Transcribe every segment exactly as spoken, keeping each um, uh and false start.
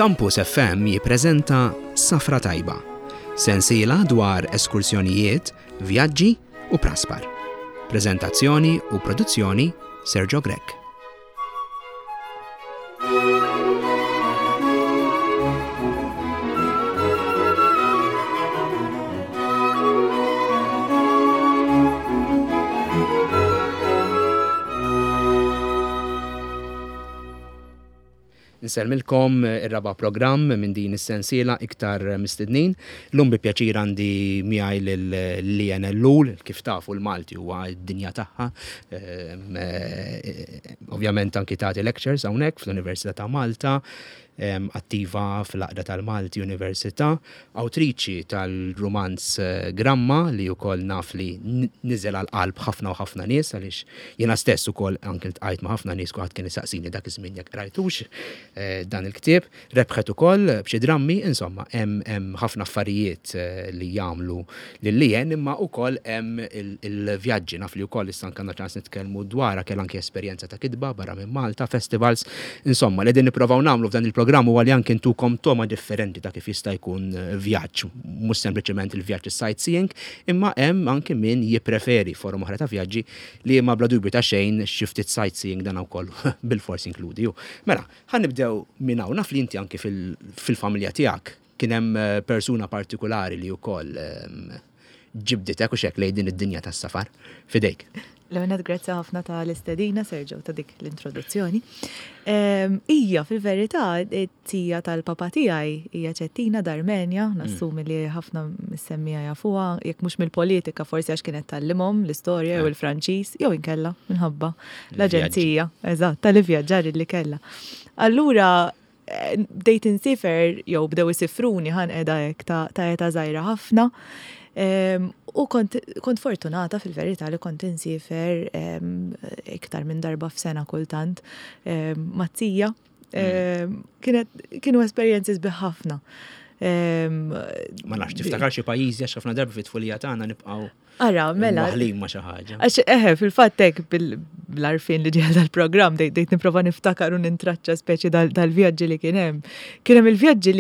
Campus F M jippreżenta Safra Tajba, sensiela dwar eskursjonijiet, vjaġġi u praspar. Prezentazzjoni u produzzjoni Sergio Grech. Nsellmilkom, ir-raba' programm minn din is-sensiela iktar mistednin. Lum bi pjaċir għandi miegħi lil Leanne Ellul, kif tafu l-Malti huwa d-dinja tagħha. Ehm, eh, Ovvjament anki tagħti lectures hawnhekk fl-Università ta' Malta, ehm, attiva fl-Għaqda tal-Malti Università, awtriċi tal-romanz eh, Gramma, li wkoll naf li niżel għal qalb ħafna u ħafna nies, għaliex jiena stess ukoll anke ltqajt ma' ħafna nies, kulħadd kien isaqsini dak iż-żmien jekk qrajtux eh, dan il-ktieb. Rebħet ukoll b'xi drammi, insomma, hemm hemm ħafna affarijiet eh, li jagħmlu lil Leanne, imma wkoll hemm il-vjaġġi, naf li wkoll issa anke ċans nitkellmu dwarha, kellha anke esperjenza ta' kitba barra minn Malta, festivals, insomma, li din nipprovaw nagħmlu f'dan il-programm huwa li anke ntukom togħma differenti ta' kif jista' jkun eh, vjaġġ, mhux sempliċement il-vjaġġ sightseeing, imma hemm anke min jippreferi forom oħra ta' vjaġġi li ma bla dubju ta' xejn xi ftit sightseeing dan ukoll bil-fors inkludi. Mela, ħa nibdew minn hawn. Naf li inti anke fil-familja tiegħek kien hemm eh, persuna partikolari li wkoll ehm, ġibditek u xek lejn din id-dinja tas-safar. Fidejk. L-ewwel, grazzi ħafna ta' l-istedina, Sergio, ta' dik l-introduzzjoni. Ija, fil-verità, tija tal-papa tiegħi hija Ċettina Darmenja, mm. nassumi li ħafna missemmija jafuha, jekk mhux mill-politika, forsi għax kienet tgħallimhom l-istorja jew il-Franċiż, jew inkella minħabba l-aġenzija, eżatt, tal-ivvjaġġar li kellha. Allura, eh, bdejt insifer, jew bdew isifruni, ħa ngħidu hekk, ta' età żgħira ħafna. U kont, kont fortunata fil-verità li kont insifer iktar minn darba f'sena kultant mat-tija. Mm. Kienu esperjenzi sbieħ ħafna. Ma nafx, tiftakar xi pajjiżi, għax ħafna darba fit-tfulija tagħna nibqgħu Ara, mela. Maħlin ma xi ħaġa. Għax eħe, fil-fatt hekk bil-għarfien li ġie dal-programm bdejt nipprova niftakar u nintraċċa speċi dal-vjaġġi li kien hemm. Kien hemm il-vjaġġi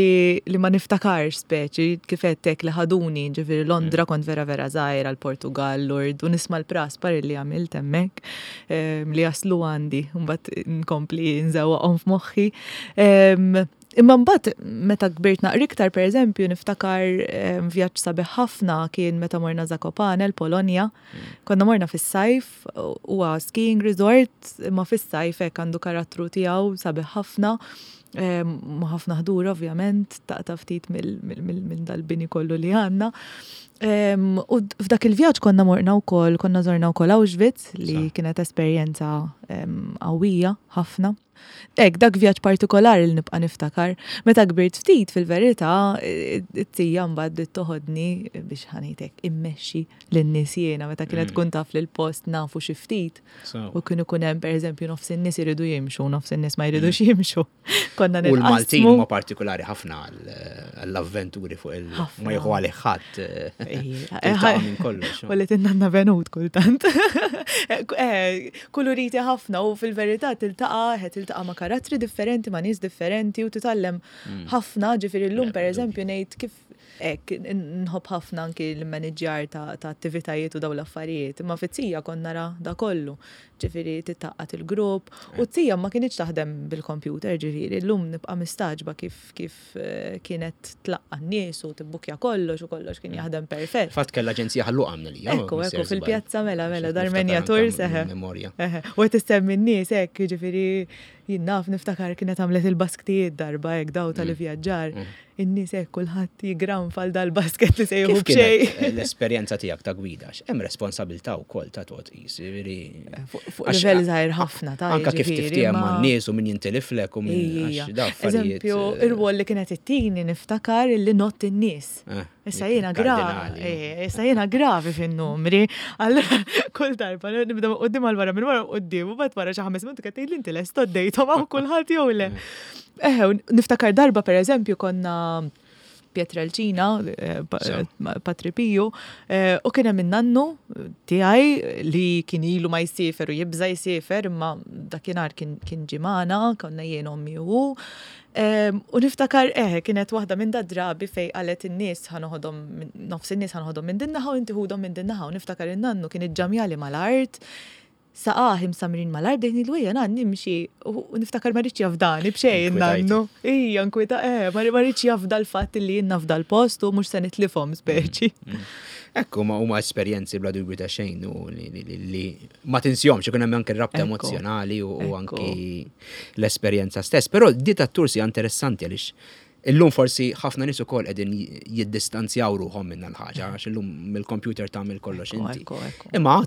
li ma niftakarx, speċi kif hekk li ħaduni, ġifieri Londra mm. kont vera vera żgħira, l-Portugal, Lourdes, u nisma' l-praspar li għamilt hemmhekk li jaslu għandi, mbagħad nkompli nżewwaqhom f'moħħi. Imma mbagħad meta kbirt naqra iktar, pereżempju, niftakar vjaġġ sabiħ ħafna kien meta morna Zakopane, l-Polonja. Mm. Konna morna fis-sajf, huwa skiing resort, imma fis-sajf hekk għandu karattru tiegħu sabiħ ħafna. Ma ħafna ħdur ovvjament, taqta' ftit minn dal-bini kollu li għandna. U f'dak il-vjaġġ konna morna wkoll, konna żorna wkoll Auschwitz, li kienet esperjenza qawwija ħafna. Hekk, dak vjaġġ partikolari li nibqa' niftakar. Meta kbirt ftit, fil-verità, it-tija mbagħad bdiet toħodni biex, ħa ngħidlek, immexxi lin-nies jiena meta kienet mm. tkun taf li l-post nafu xi ftit. U kienu kun hemm, pereżempju, nofs in-nies iridu jimxu, nofs in-nies ma jridux mm. jimxu. Konna U l-Maltin huma partikolari ħafna għall-avventuri fuq il ma jieħu għalih ħadd minn kollox. U li tinnanna venut kultant. Eh, kuluriti ħafna u fil-verità tiltaqa' tiltaqa' ma' karattri differenti, ma' nies differenti u titgħallem mm. ħafna, ġifieri llum, pereżempju, ngħid kif hekk nħobb ħafna anki l-manager ta' attivitajiet u daw l-affarijiet, imma fit-tija kont nara da kollu. Ġifieri tgħaqqad il-grupp u t-tija ma kinitx taħdem bil-computer, ġifieri llum nibqa' mistagħġba kif kif eh, kienet tlaqqa n-nies u tibbukja kollox u kollox kien jaħdem perfett. Fatt kellha aġenzija Ħal Luqa minn li. Ekku, ekku, fil-pjazza, mela, mela, Darmenja Tours, eħe. U qed issemmi n-nies hekk, ġifieri jien naf, niftakar kienet għamlet il-basktijiet darba hekk daw tal-ivvjaġġar. Mm. In-nies hekk kulħadd jigranfa dal-basket li se jieħu b'xejn. L-esperjenza tiegħek ta' gwida, hemm responsabilità wkoll ta' tot qis, Fuq livell żgħir ħafna ta' Anka kif tiftiehem man-nies u min jintiliflek u min. Eżempju, ir-rwol li kienet ittini, niftakar li ngħodd in-nies. Eh, issa jiena gravi, eh, issa jiena gravi fin-numri. Allura kull darba nibda quddiem għal wara, minn wara quddiem, u mbagħad wara xi ħames minuti qed tgħid, "Inti lest għoddejthom hawn kulħadd jew le?" Eh, niftakar darba, pereżempju, konna Pietrelcina, eh, Patri Piju, eh, u kien hemm in-nannu tiegħi li kien ilu ma jsiefer u jibża jsiefer, imma dakinhar kien ġie magħna, konna jien, ommi u U niftakar eħe, kienet waħda minn dad-drabi fejn qalet in-nies ħa noħodhom, nofs in-nies ħa noħodhom minn din naħa u inti ħudhom minn din naħa, u niftakar in-nannu kien iġġamjali mal-art, saqajh imsamrin mal-art, bdejt ngħidlu ejja nan nimxi, u niftakar ma riedx jafdani b'xejn nannu. Ija, nkwita, eh, ma riedx jafda l-fatt li jien nafda l-post u mhux se nitlifhom speċi. Mm, mm. Ekku, ma huma esperjenzi bla dubju ta' xejn u li ma tinsihomx, ikun hemm anke rabta emozjonali u anki l-esperjenza stess. Però di ta' tours hija interessanti għaliex illum forsi ħafna nies ukoll qegħdin jiddistanzjaw ruħhom minn l-ħaġa għax illum mill-computer tagħmel kollox inti. Imma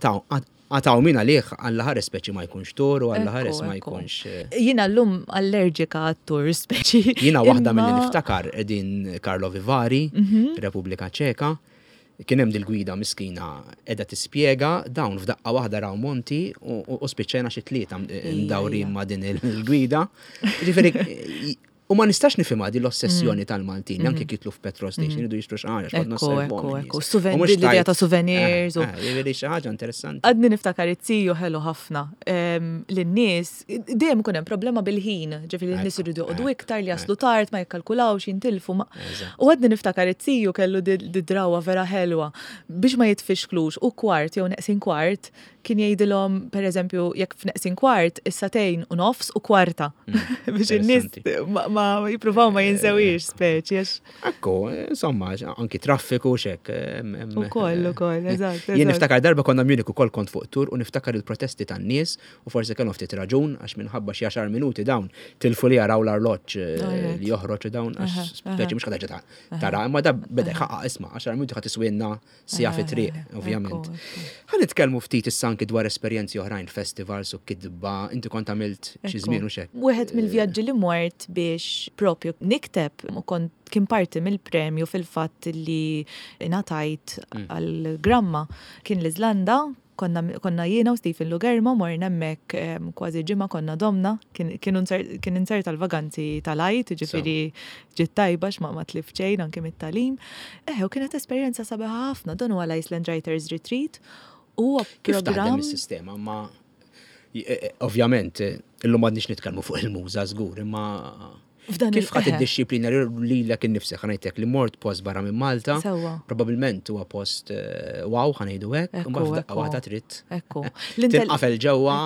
għataw min għalih għalla ħares speċi ma jkunx tur u għalla ħares ma jkunx. Eh, Jiena llum allerġika għat-tour speċi. Jiena waħda mill niftakar qegħdin Karlovy Vary, mhm. Repubblika Ċeka. Kien hemm dil-gwida miskina qiegħda tispjega, dawn f'daqqa waħda raw monti u spiċċajna xi tlieta mdawrin ma' din il-gwida. Ġifieri, u ma nistax nifhimha di l-ossessjoni mm. tal-Maltin, mm. anke jidħlu f'petrol station, mm. iridu jixtru xi ħaġa, x'qod Ekku, ekku, l-idea ta' souvenirs. Eh, eh, jiġifieri xi ħaġa interessanti. Għadni niftakar it-tiju ħelu ħafna. Lin-nies, dejjem ikun hemm problema bil-ħin, ġifieri n-nies iridu joqogħdu iktar li jaslu tard, ma jikkalkulawx, jintilfu. U għadni niftakar it-tiju kellu di drawa vera ħelwa biex ma jitfixklux u kwart jew neqsin kwart kien jgħidilhom, pereżempju, jekk f'neqsin kwart, is-sagħtejn u nofs u kwarta. Mm, biex in-nies ma jippruvaw ma jinsewix speċi. Ekku, insomma, anki traffiku xek. Ukoll, ukoll, eżatt. Jien niftakar darba konna Munich ukoll, kont fuq tur, u niftakar il-protesti tan-nies, u forsi kellhom ftit raġun, għax minħabba xi għaxar minuti dawn tilfu li jaraw l-arloġġ eh, li joħroġ dawn, għax speċi mhux ħaġa tara, imma da beda jħaqqa, isma' għaxar minuti ħa tiswinna siegħa fi triq, ovvjament. Ħa nitkellmu ftit issa anki dwar esperjenzi oħrajn, festivals u kitba, inti kont għamilt xi żmien u xek. Wieħed mill-vjaġġi li mort biex propju nikteb u kont kien parti mill-premju fil-fatt li ngħatajt mm. għal-gramma kien l-Iżlanda. konna, konna jiena u Stephen Lugermo morna hemmhekk kważi ġimgħa konna domna, kien inzerta l-vaganzi tal-Għid, ġifieri ġiet tajba x'ma ma tlift xejn anke mit-tagħlim. Eh, u kienet esperjenza sabiħa ħafna, dan huwa l-Iceland Writers Retreat. U kif taħdem is-sistema? Ma e, e, ovvjament illum m'għadniex nitkellmu fuq il-muża żgur, imma kif ħadd id-dixxiplina lilek innifsek, ħa ngħidlek li mort post barra minn Malta, probabbilment huwa post eh, wow, ħa ngħidu hekk, u f'daqqa waħda trid. Ekku. Tinqafel ġewwa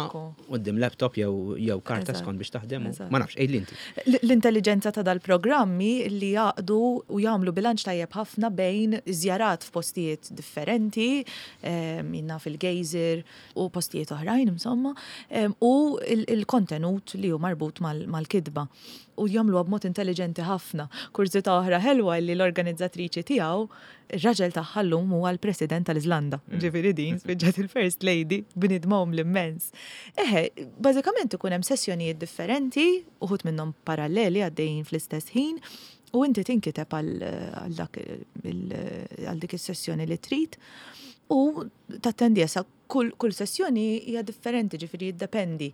quddiem laptop jew jew karta skont biex taħdem. Ma nafx, għidli inti. L-intelligenza ta' dal-programmi li jaqdu u jagħmlu bilanċ tajjeb ħafna bejn żjarat f'postijiet differenti, minna fil-geyser u postijiet oħrajn insomma, u il-kontenut li hu marbut mal-kitba. U jagħmluha b'mod intelligenti ħafna. Kurżità oħra ħelwa li l-organizzatriċi tiegħu, ir-raġel tagħha llum huwa l-President tal-Iżlanda. Mm. Ġifieri din spiċċat il-First Lady, bniedma l-immens. Eħe, bażikament ikun hemm sessjonijiet differenti, uħud minnhom paralleli għaddejjin fl-istess ħin, u inti tinkiteb għal dak għal dik is-sessjoni li trid u tattendi sa kull, kull sessjoni hija differenti, ġifieri jiddependi.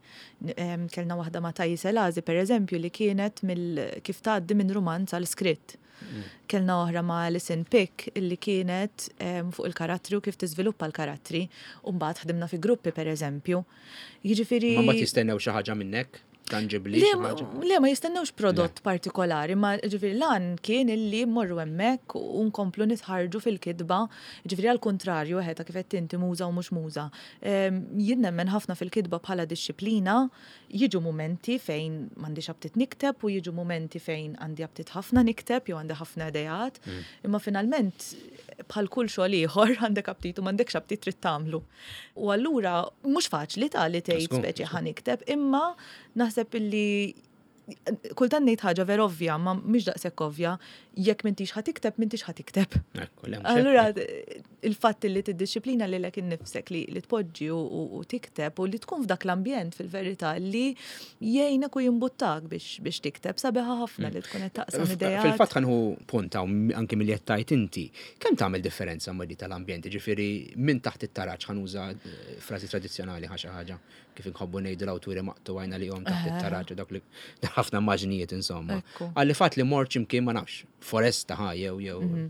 Kellna waħda ma' Thais Elazi, per eżempju, li kienet mill kif tgħaddi minn rumanz għal skritt. Mm. Kellna oħra ma' Alison Pick li kienet fuq il-karattri u kif tiżviluppa l-karattri. U mbagħad ħdimna fi gruppi, per eżempju. Jiġifieri Ma mbagħad jistennew xi ħaġa minnek? Tangibli? Le, ma jistennewx prodott partikolari, ma ġifieri lan kien illi mmorru hemmhekk u nkomplu nitħarġu fil-kitba, ġifieri għal kontrarju eħe ta' kif qed inti muża u mhux muża. Jien nemmen ħafna fil-kitba bħala dixxiplina, jiġu momenti fejn m'għandix aptit nikteb u jiġu momenti fejn għandi aptit ħafna nikteb jew għandi ħafna ideat, mm. imma finalment bħal kull xogħol ieħor għandek aptit u m'għandekx aptit trid tagħmlu. U allura mhux faċli ta' li tgħid speċi ħa nikteb, imma naħseb illi kultant ngħid ħaġa vera ovvja, ma mhix daqshekk ovvja, jekk m'intix ħa tikteb, m'intix ħa tikteb. Allura il-fatt li tiddixxiplina lilek innifsek li, li tpoġġi u, u tikteb u li tkun f'dak l-ambjent fil-verità li jgħinek u jimbuttak biex, biex tikteb, sabiħa ħafna li tkun qed taqsam ideat. Fil-fatt ħa nieħu punta anke milli qed tgħid inti, kemm tagħmel differenza ma' di tal-ambjent, ġifieri minn taħt it-taraġ, ħa nuża eh, frażi tradizzjonali ħa xi ħaġa kif inħobbu ngħidu l-awturi maqtu għajna li jom taħt it-taraġ u dak li Ħafna immaġnijiet insomma. Għalli fatt li mort x'imkien, ma nafx, foresta ħa jew jew. Mhm.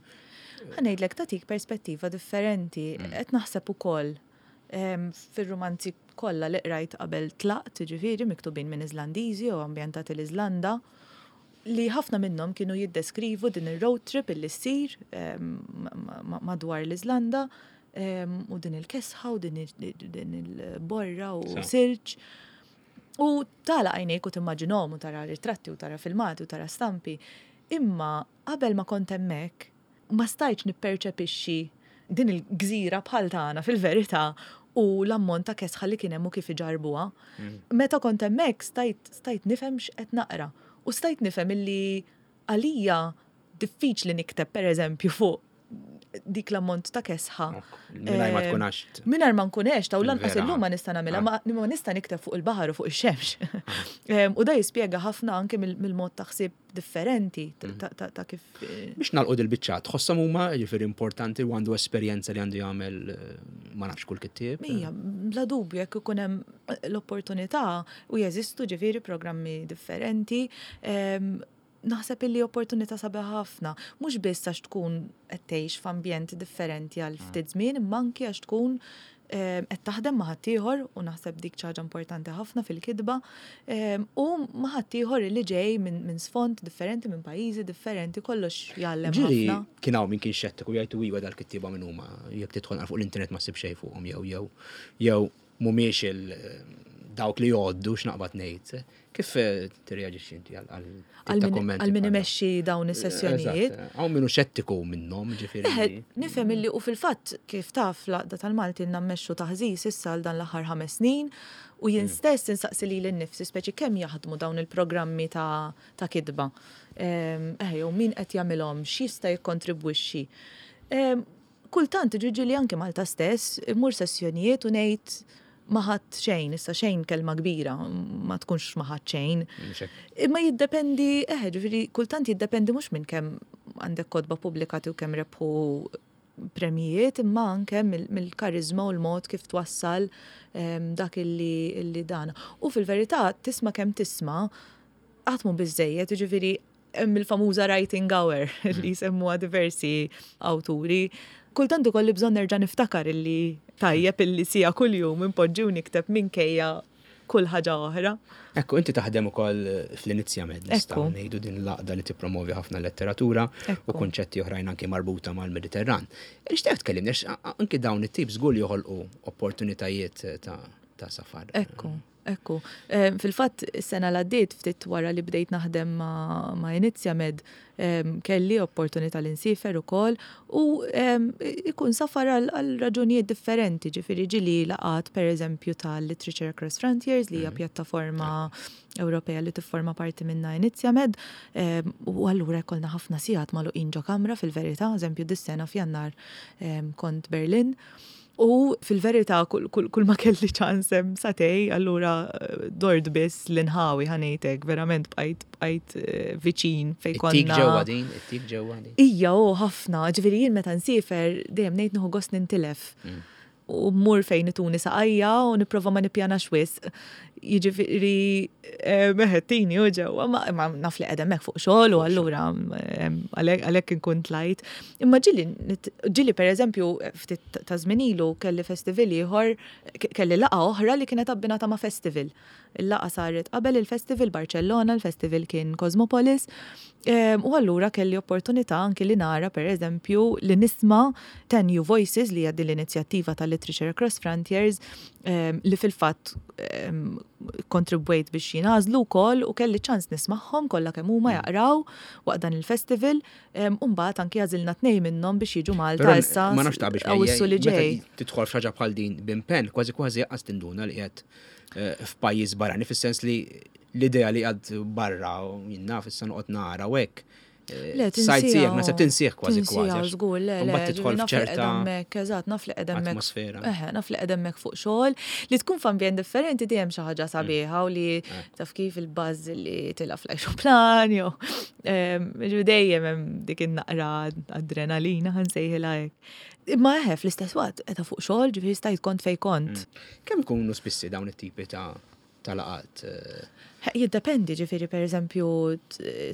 Ħa ngħidlek, tatik perspettiva differenti, mm. qed naħseb ukoll fir-romanzi kollha li qrajt qabel tlaqt, ġifieri miktubin minn Iżlandiżi u ambjentati l-Iżlanda, li ħafna minnhom kienu jiddeskrivu din ir-road trip illi ssir madwar l-Iżlanda u din il-kesħa u din il-borra u silġ. U tagħlaq għajnejk u timmaġinhom u tara ritratti u tara filmati u tara stampi. Imma qabel ma kont hemmhekk ma stajtx nipperċepixxi din il-gżira bħal tagħna fil-verità u l-ammont ta' kesħa li kien hemm u kif iġarbuha. Mm. Meta kont hemmhekk stajt stajt nifhem x'qed naqra u stajt nifhem illi għalija diffiċli nikteb, pereżempju, fuq dik l-ammont ta' kesħa. Mingħajr ma tkun għext. Mingħajr ma nkun għext, u lanqas illum ma nista' nagħmilha, ma ma nista' nikteb fuq il-baħar u fuq ix-xemx. U da jispjega ħafna anke mill-mod ta' ħsieb differenti ta' ta' kif. eh, Biex nagħlqu dil-biċċa, tħosshom huma, ġifieri, importanti u għandu esperjenza li għandu jagħmel eh, ma nafx, kull kittieb? Mija, bla dubju, jekk ikun hemm l-opportunità u jeżistu ġifieri programmi differenti, em, naħseb illi opportunità sabiħa ħafna, mhux biss għax tkun qed tgħix f'ambjent differenti għal ftit żmien, imma anki għax tkun em, qed taħdem ma' ħaddieħor, u naħseb dik xi ħaġa importanti ħafna fil-kitba, em, u ma' ħaddieħor li ġej minn min sfond differenti, minn pajjiżi differenti, kollox jgħallem Ġieli ħafna. kien hawn min kien xettiku, jgħidu iwa, dal-kittieba minn huma, jekk tidħol fuq l-internet ma ssib xejn fuqhom jew jew jew mhumiex il dawk li jgħoddu, x'naqbad ngħid. Kif eh, tirreaġixxi inti għal għal tip Għal ta' min- kummenti għal min bħal dawn? imexxi dawn is-sessjonijiet. Eżatt, hawn minnu xettiku minnhom, ġifieri. Eħe, nifhem illi u fil-fatt, kif taf, l-Għaqda tal-Malti nammexxu taħżis issa għal dan l-aħħar ħames snin u jien stess insaqsi lili nnifsi speċi kemm jaħdmu dawn il-programmi ta' ta' kitba. Ehm, Eħe, jew min qed jagħmilhom, x'jista' jikkontribwixxi. Ehm, Kultant ġieli li anke Malta stess immur sessjonijiet u ngħid ma ħadd xejn, issa xejn kelma kbira, ma tkunx ma ħadd xejn. Mhux hekk. Imma jiddependi, eħe, ġifieri, kultant jiddependi mhux minn kemm għandek kotba pubblikati u kemm rebħu premijiet, imma anke mill- mill-karizma u l-mod kif twassal em, dak illi, illi dan. U fil-verità, tisma' kemm tisma', qatt mhu biżejjed, ġifieri, hemm il-famuża writing hour li jsemmuha diversi awturi. Kultant ikolli bżonn nerġa' niftakar illi tajjeb illi siegħa kuljum impoġġi u nikteb minkejja kull ħaġa oħra. Ekku, inti taħdem ukoll fl-Inizjamed, nistgħu Ekku. ngħidu din l-għaqda li tippromovi ħafna letteratura u Ekku. konċetti oħrajn anke marbuta mal-Mediterran. Nixtieq tkellimni għax anke dawn it-tip żgur li joħolqu opportunitajiet ta' ta' safar. Ekku, ekku. Eh, Fil-fatt, is-sena l għaddiet, ftit wara li bdejt naħdem ma', ma Inizjamed, em, kelli opportunità li nsifer ukoll u em, ikun safar għal għal raġunijiet differenti, ġifieri ġieli laqgħat, per eżempju, tal-Literature Across Frontiers, li hija pjattaforma Ewropea li tifforma parti minna Inizjamed, em, u allura jkollna ħafna sigħat magħluqin ġo kamra fil-verità, eżempju dis-sena f'Jannar em, kont Berlin. U fil-verità kull, kull, kull ma kelli ċans hemm sagħtejn, allura eh, dort biss l-inħawi, ħa ngħidlek, verament bqajt bqajt eh, viċin fej Ittik konna. ġewwa din, ittik ġewwa din. Ija, u ħafna, ġifieri jien meta nsifer dejjem ngħid nieħu gost nintilef. U mmur fejn ituni saqajja u nipprova ma nippjanax wisq. Jiġifieri eh, meħettini u ġewwa, ma, ma naf li qed hemmhekk fuq xogħol u allura em, għalhekk għalhekk inkun tlajt. Imma ġieli nit- ġieli pereżempju ftit ta' żmien ilu kelli festival ieħor, ke- kelli laqgħa oħra li kienet abbinata ma' festival. Il-laqgħa saret qabel il-festival Barcellona, il-festival kien Cosmopolis. Em, U allura kelli opportunità anki li nara, per eżempju, li nisma' Ten New Voices, li hija din l-inizjattiva tal-Literature Across Frontiers, em, li fil-fatt em, kontribwejt biex jingħażlu wkoll, u kelli ċans nismagħhom kollha kemm huma jaqraw waqt dan il-festival, em, u mbagħad anki għażilna tnejn minnhom biex jiġu Malta Però issa ma nafx ta' biex Awwissu li meta ġej. tidħol f'xi ħaġa bħal din b'impenn, kważi kważi qas tinduna li qiegħed eh, f'pajjiż barrani, fis-sens li l-idea li għad barra u jien naf issa noqgħod nara u hekk. eh, Le, Sightseeing, naħseb tinsieħ kważi tinsieha, kważi. żgur, le, le, Mbagħad tidħol ġifieri naf li f'ċerta qed hemmhekk, eżatt, naf li qed hemmhekk. atmosfera. Eħe, naf li qed hemmhekk fuq xogħol, li tkun f'ambjent differenti dejjem xi ħaġa sabiħa u li taf kif il-buzz li tila fl-ajruplan jew em, ġifieri dejjem hemm dik in-naqra adrenalina, ħa nsejħilha hekk. Imma eħe, fl-istess waqt qiegħda fuq xogħol, ġifieri stajt kont fej kont. Kemm ikunu spissi dawn it-tipi ta' ta' laqgħat? eh, Jiddependi, ġifieri, per eżempju,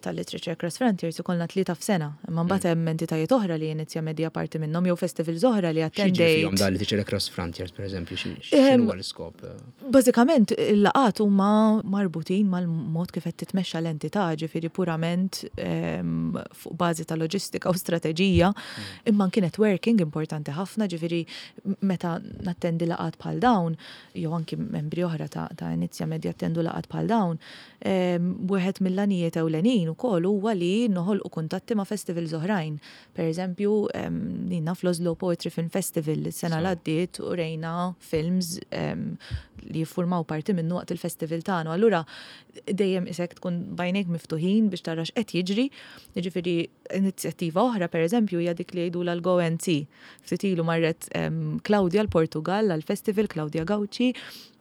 tal-Literature Across Frontiers ikollna tlieta f'sena, imma mbagħad mm. hemm entitajiet oħra li Inizja Media parti minnhom jew festivals oħra li attendejt. X'jiġri dal-Literature Across Frontiers, per eżempju, x'inhu l-iskop? Bażikament il-laqgħat huma marbutin mal-mod kif qed titmexxa l-entità, ġifieri purament fuq bażi ta' loġistika u strateġija, mm. imma kienet networking importanti ħafna, ġifieri meta nattendi laqgħat bħal dawn, jew anki membri oħra ta' Inizja Media attendu laqgħat bħal dawn, wieħed mill-għanijiet ewlenin ukoll huwa li noħolqu kuntatti ma' festivals oħrajn. Per eżempju, nina fl-Oslo Poetry Film Festival is-sena l għaddiet u rejna films li jiffurmaw parti minnu waqt il-festival tagħna. Allura dejjem isek tkun b'għajnejk miftuħin biex tara x'qed jiġri. Jiġifieri inizjattiva oħra, per eżempju, hija dik li jgħidu l-Go and See. Ftit ilu marret Claudia l-Portugal għal-festival, Claudia Gauci.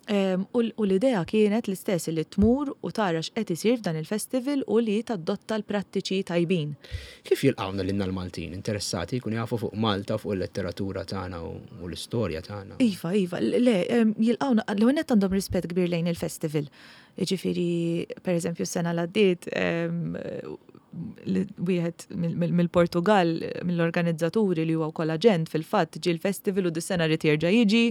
U l-idea kienet l-istess, li tmur u tara x'qed isir f'dan il-festival u li tadotta l-prattiċi tajbin. Kif jilqawna lilna l-Maltin interessati jkun jafu fuq Malta, fuq il-letteratura tagħna u l-istorja tagħna? Iva, iva, le, jilqawna, l-għonet għandhom rispett kbir lejn il-festival. Ġifieri, per eżempju, s-sena l-għaddiet, wieħed mill-Portugal, mill-organizzaturi li huwa wkoll aġent fil-fatt, ġie l-festival u dis-sena rid jerġa' jiġi.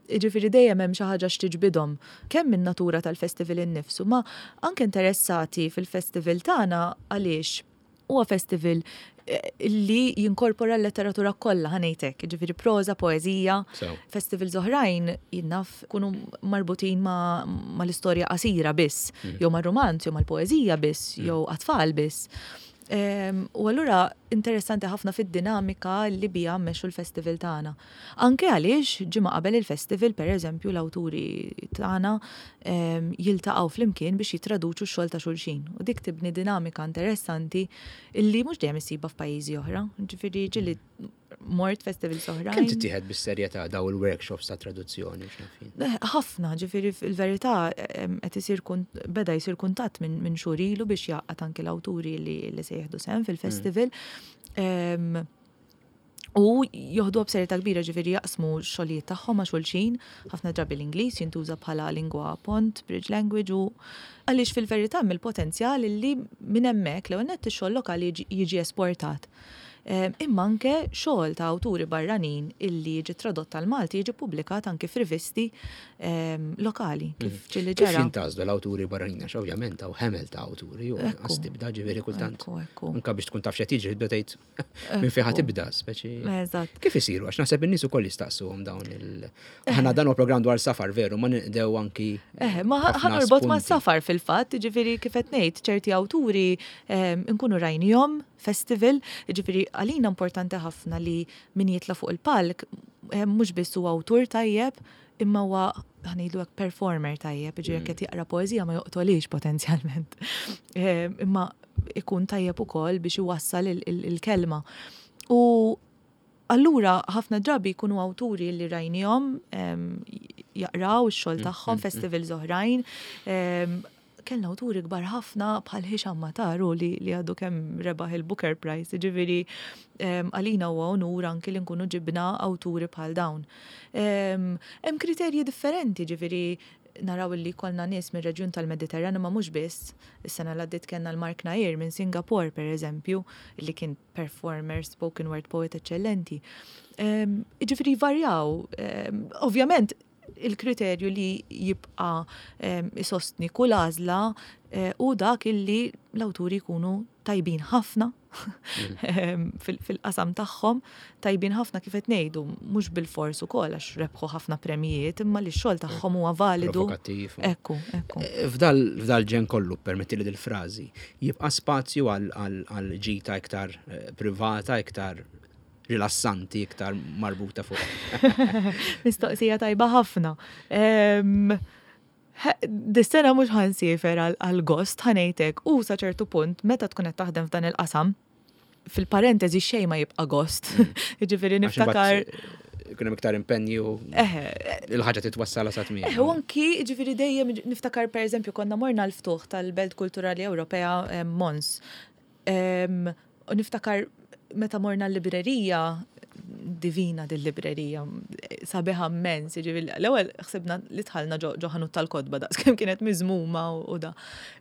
Ġifieri dejjem hemm xi ħaġa x'tiġbidhom, kemm min-natura tal-festival innifsu, ma anke interessati fil-festival tagħna għaliex huwa festival eh, li jinkorpora l-letteratura kollha, ħa ngħidlek, ġifieri proża, poeżija, festivals oħrajn jinnaf kunu marbutin ma, ma l-istorja qasira biss, mm. jew ma' romanz, jew mal-poeżija biss, mm. jew għat-tfal biss. U allura interessanti ħafna fid-dinamika li bija mmexxu l-festival tagħna. Anke għaliex ġimgħa qabel il-festival, per eżempju, l-awturi tagħna jiltaqgħu flimkien biex jitraduċu x-xogħol ta' xulxin. U dik tibni dinamika interessanti illi mhux dejjem issibha f'pajjiżi oħra. Ġifieri ġieli mort festival oħra. Kemm tittieħed bis-serjetà daw il-workshops ta' traduzzjoni? Eh, ħafna, ġifieri fil-verità qed isir beda jsir kuntatt minn xhur ilu biex jgħaqqad anke l-awturi li, li se jieħdu sehem fil-festival. Mm. U joħdu b'serjetà kbira, ġifieri jaqsmu xogħlijiet tagħhom ma' xulxin, ħafna drabi l-Ingliż jintuża bħala lingwa pont, bridge language, u għaliex fil-verità mill-potenzjal li minn hemmhekk l nett ix-xogħol lokali jiġi esportat. Imma anke xogħol ta' awturi barranin illi jiġi tradott tal-Malti jiġi publikat anke f'rivisti lokali, kif mhm. ġieli ġara. Kif jintgħażlu l-awturi barranin? Għax ovvjament hawn ħemel ta' awturi u għas tibda, ġifieri kultant. Anka biex tkun taf x'qed jiġri tibda tgħid minn fejn tibda, speċi. Eżatt. Kif isiru? Għax naħseb in-nies ukoll jistaqsuhom dawn il- Aħna dan huwa programm dwar safar, veru, ma ninqdew anki. Eh, ma ħa norbot ma' safar fil-fatt, ġifieri kif qed ngħid, ċerti awturi nkunu rajnihom festival, ġifieri għalina importanti ħafna li min jitla fuq il-palk mhux biss huwa awtur tajjeb, imma huwa, ħa ngħidu hekk, performer tajjeb, ġifieri mm. qed jaqra poeżija ma joqtolix potenzjalment. Imma ikun tajjeb ukoll biex iwassal il-kelma. U allura ħafna drabi jkunu awturi li rajnihom jaqraw ix-xogħol mm, tagħhom mm, festivals oħrajn. Kellna awturi kbar ħafna bħal Hisham Matar li, li għadu kemm rebaħ il-Booker Prize, ġifieri għalina huwa onur anki li nkunu ġibna awturi bħal dawn. Hemm kriterji differenti, ġifieri naraw li kollna nies mir-reġjun tal-Mediterran, ma mhux biss. Is-sena l għaddiet kellna l-Mark Nair minn Singapore, per eżempju, li kien performer, spoken word poet eccellenti. Ġifieri varjaw. Ovvjament il-kriterju li jibqa isostni kull għażla eh, u dak illi l-awturi jkunu tajbin ħafna mm. fil-qasam tagħhom, tajbin ħafna kif qed ngħidu mhux bil-fors ukoll għax rebħu ħafna premijiet, imma li x-xogħol tagħhom huwa validu. Provokattiv. Ekku, ekku. Eh, f'dal ġen kollu, permetti li dil-frażi, jibqa' spazju għal ġita iktar eh, privata, iktar rilassanti, iktar marbuta fuq? Mistoqsija tajba ħafna. Dis-sena mhux ħa nsiefer għal gost, ħa ngħidlek, u sa ċertu punt meta tkun qed taħdem f'dan il-qasam, fil-parentesi xejn ma jibqa' gost. Mm. Jiġifieri niftakar ikun hemm iktar impenju, il-ħaġa titwassala sa tmiem. Eħe, u anki ġifieri dejjem niftakar, per eżempju, konna morna l-ftuħ tal-Belt Kulturali Ewropea Mons. U niftakar meta morna l-librerija Divina dil-librerija, sabiħa immens, jiġifieri l-ewwel ħsibna li dħalna ġo ħanut tal-kotba daqs kemm kienet miżmuma u da.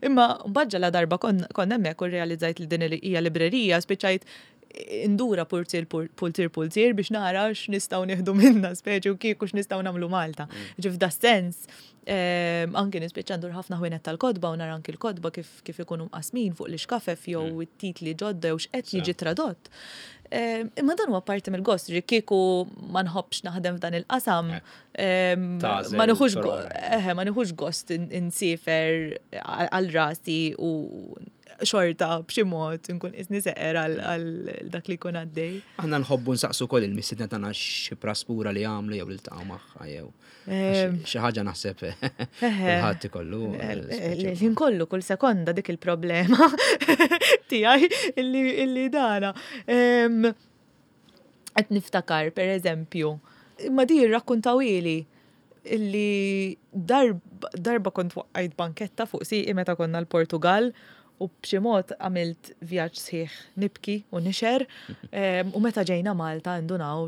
Imma mbagħad la darba konna hemmhekk u realizzajt li din hija librerija, spiċċajt indura pulzier pulzier pulzier biex nara x'nistgħu nieħdu minna speċi u kieku x'nistgħu nagħmlu Malta. Mm. Ġif da sens, anki nispiċċa ndur ħafna ħwienet tal-kotba u nara anki l-kotba kif kif ikunu mqasmin fuq l-ixkafef jew mm. it-titli ġodda jew x'qed jiġi tradott. Imma dan huwa parti mill-gost, ġi kieku ma nħobbx naħdem f'dan il-qasam, eh, ma nieħux ma nieħux gost insiefer għal rasi u xorta b'xi mod nkun isni seqer għal dak li jkun għaddej. Aħna nħobbu nsaqsu wkoll il-mistiedna tagħna xi praspura li għamlu jew li ltaqgħu magħha jew xi ħaġa naħseb kulħadd ikollu. L-ħin kollu kull sekonda dik il-problema tiegħi illi dana. Qed niftakar per eżempju, imma di rrakkuntawili illi darba kont waqqajt banketta fuq siqi meta konna l-Portugal u b'xi mod għamilt vjaġġ sħiħ nibki u nixer u meta ġejna Malta ndunaw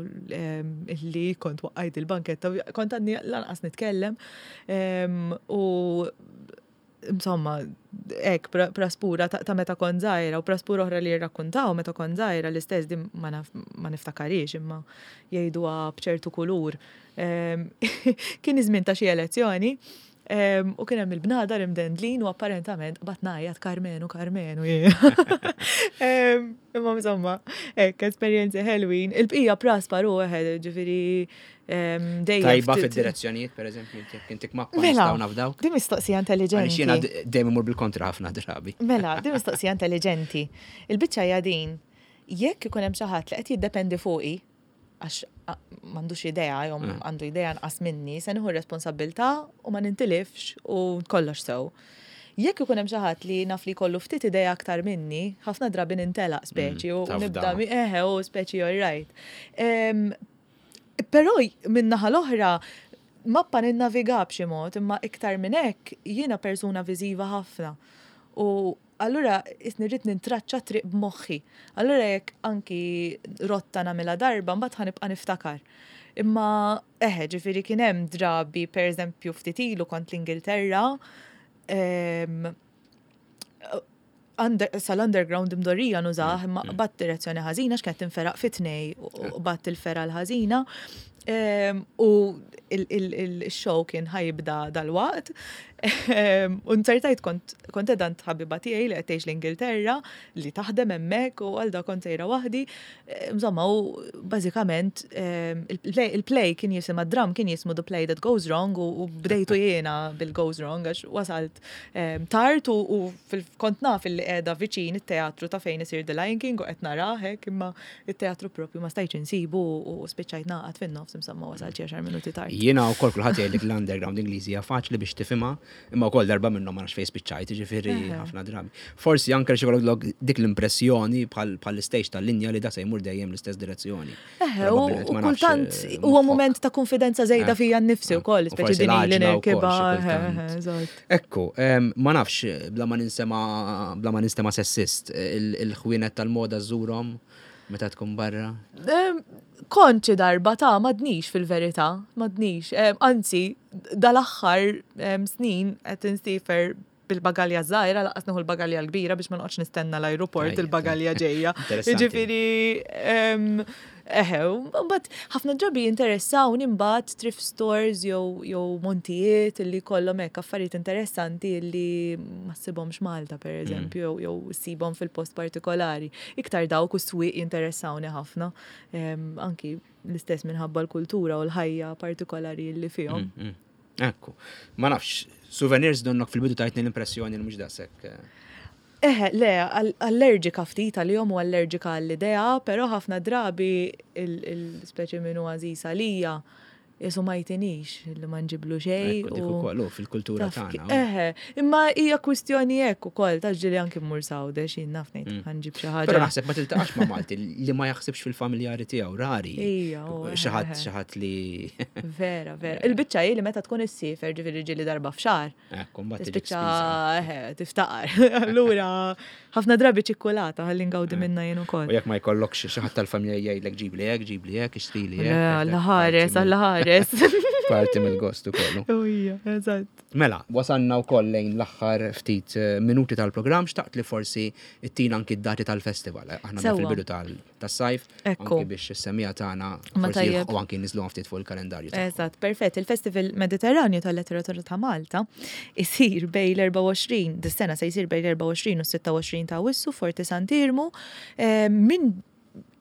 illi kont waqqajt il-banketta, kont għadni lanqas nitkellem u insomma, ek, praspura ta' meta kont żgħira u praspura oħra li jirrakkuntaw meta kont żgħira l-istess din ma niftakarix imma jgħiduha b'ċertu kulur. Kien iż-żmien ta' xi elezzjoni u kien hemm il-bnadar imdendlin u apparentament bat ngħajjat Karmenu, Karmenu. Imma insomma, hekk esperjenzi ħelwin. Il-bqija praspar u eħed, ġifieri dejjem. Tajba fid-direzzjonijiet, per eżempju, intik mappa mela, nistgħu nafdaw. Di mistoqsija intelligenti. Għaliex jiena dejjem imur bil-kontra ħafna drabi. Mela, di mistoqsija intelligenti. Il-biċċa hija din, jekk ikun hemm xi ħadd li qed jiddependi fuqi, għax m'għandux idea, jew mm. għandu idea nqas minni, se nieħu responsabbiltà u ma nintilifx u kollox sew. Jekk ikun hemm xi ħadd li naf li kollu ftit idea aktar minni, ħafna drabi nintelaq speċi u nibda eħe u speċi all right. Però min-naħa l-oħra mappa ninnaviga b'xi mod, imma iktar minn hekk jiena persuna viżiva ħafna. U allura isni rrid nintraċċa triq b'moħħi. Allura jekk anki rotta nagħmilha darba, mbagħad ħanibqa' niftakar. Imma eħe, ġifieri kien hemm drabi, per eżempju, ftit ilu kont l-Ingilterra, sal-underground imdorrija nużah, imma mm. bat direzzjoni ħażina x'kienet tinferaq fi tnej u bat il-fera l-ħażina. U il-show kien ħajibda dal-waqt. U nzertajt kont kont ħabiba tiegħi li qed tgħix l-Ingilterra li taħdem hemmhekk u għal da kont sejra waħdi. Insomma, u bażikament il-play kien jisimha dram kien jismu The Play That Goes Wrong u bdejtu jiena bil-Goes Wrong għax wasalt tard u kont naf li qiegħda viċin it-teatru ta' fejn isir The Lion King u qed narah hekk imma it-teatru propju ma stajtx insibu u spiċċajt naqgħad fin-nofs insomma wasalt xi għaxar minuti tard. Jiena wkoll kulħadd jgħidlek l-underground Ingliżi hija faċli biex tifhimha, imma wkoll darba minnhom ma nafx fejn spiċċajt, jiġifieri ħafna drabi. Forsi anke xi jkollok dik l-impressjoni bħal stage tal-linja li da se jmur dejjem l-istess direzzjoni. Eħe, u kultant huwa mument ta' konfidenza żejda fija nnifsi wkoll, speċi din li nirkibha. Ekku, ma nafx bla ma ninsema bla ma ninstema sessist, il-ħwienet tal-moda żurhom meta tkun barra? Kont xi darba ta' m'għadnix fil-verità, m'għadnix. Anzi, dal-aħħar snin qed insiefer bil-bagalja żgħira, lanqas nieħu l-bagalja l-kbira biex ma noqgħodx nistenna l-ajruport il-bagalja ġejja. Jiġifieri eħe, mbagħad ħafna drabi jinteressawni mbagħad thrift stores jew jew montijiet illi kollhom hekk affarijiet interessanti illi ma ssibhomx Malta pereżempju jew jew ssibhom fil-post partikolari. Iktar dawk u swieq jinteressawni ħafna. Anki l-istess minħabba l-kultura u l-ħajja partikolari li fihom. Mm, mm. Ekku, ma nafx, souvenirs donnok fil-bidu tajtni l-impressjoni li mhux daqshekk. Eħe, le, allerġika ftit għalihom u allerġika għall-idea, però ħafna drabi il-speċi minnu għażiż għalija Jesu ma jtinix li ma nġiblu xejn. Ekku, dik ukoll, u fil-kultura Taf ki- tagħna. Eħe, imma hija kwistjoni hekk ukoll ta' ġieli anki mmur Għawdex jien naf ngħid ħa nġib xi Mm. Però ħaġa. naħseb ma tiltaqax ma' Malti li ma jaħsibx fil-familjari tiegħu, rari. Ija, u, Xi ħadd eħe. xi ħadd li Vera, vera. Il-biċċa hi li meta tkun issiefer ġifieri ġieli darba f'xahar. Ekku, mbagħad tiġik Tispiċċa spiża. eħe, tiftaqar. Allura ħafna drabi ċikkulata ħalli ngawdi minna jien ukoll. U jekk ma jkollokx xi ħadd tal-familja jgħidlek ġibli hekk, ġibli hekk, ixtrili Le, hekk. Alla ħares, Alla ħares. Parti mill-gost ukoll. Ujja, eżatt. Mela, wasanna wkoll lejn l-aħħar ftit eh, minuti tal-programm, xtaqt li forsi ittina anki d-dati tal-festival. Aħna Sewwa. fil-bidu tal- tas-sajf, Ekku. anki biex is-semmiegħa tagħna Ma forsi tajjeb. jilħqu anki niżlu ftit fuq il-kalendarju. tagħhom. Eżatt, perfett. Il-Festival Mediterranju tal-Letteratura ta' Malta isir bejn l-erbgħa u għoxrin, dis-sena se jsir bejn l-erbgħa u għoxrin u s-sitta u għoxrin ta' Awwissu, Forti Sant'Iermu, eh, minn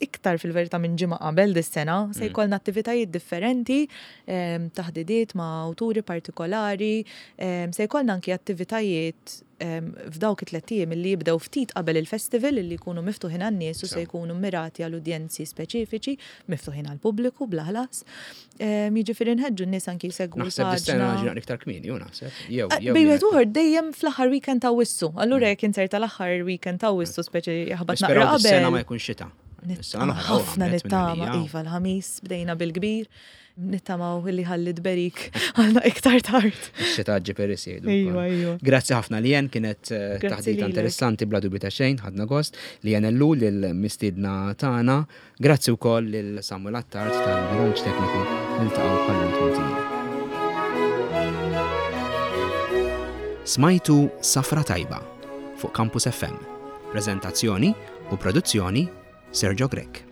iktar fil-verità minn ġimgħa qabel dis-sena se jkollna attivitajiet differenti, em, taħdidiet ma' awturi partikolari, em, se jkollna anki attivitajiet em, f'dawk it-tliet ijiem li jibdew ftit qabel il-festival li jkunu miftuħin għan-nies u se Sew. jkunu mirati għal udjenzi speċifiċi, miftuħin għal pubbliku bla ħlas. Em, Jiġifieri nħeġġu n-nies anki jsegwu Naħseb dis-sena l-paġna. ġina iktar kmieni, ju naħseb. Jew, Eh, jew. Bejn wieħed jien- u ieħor dejjem fl-aħħar weekend ta' Awwissu. Allura jekk inserta l-aħħar weekend ta' Awwissu speċi jaħbat naqra Nisperaw dis-sena ma qabel. jkun xita. Is-sena Nittama l-oħra, ħafna għamlet minn nittama, għalija. iva l-Ħamis bdejna bil-kbir, nittamaw li ħalli tberik għalna iktar tard. Xita ġib peris jgħidu. Iva, wkoll. iva. Grazzi ħafna li jen kienet eh, Grazzi taħdita lilek. interessanti bla dubju ta' xejn, ħadna gost li jen ellu lil-mistiedna tagħna. Grazzi wkoll lil Samuel Attard tal-Bilanċ Tekniku niltaqgħu bħal Maltin. Smajtu Safra Tajba fuq Campus F M. Prezentazzjoni u produzzjoni Sergio Grech.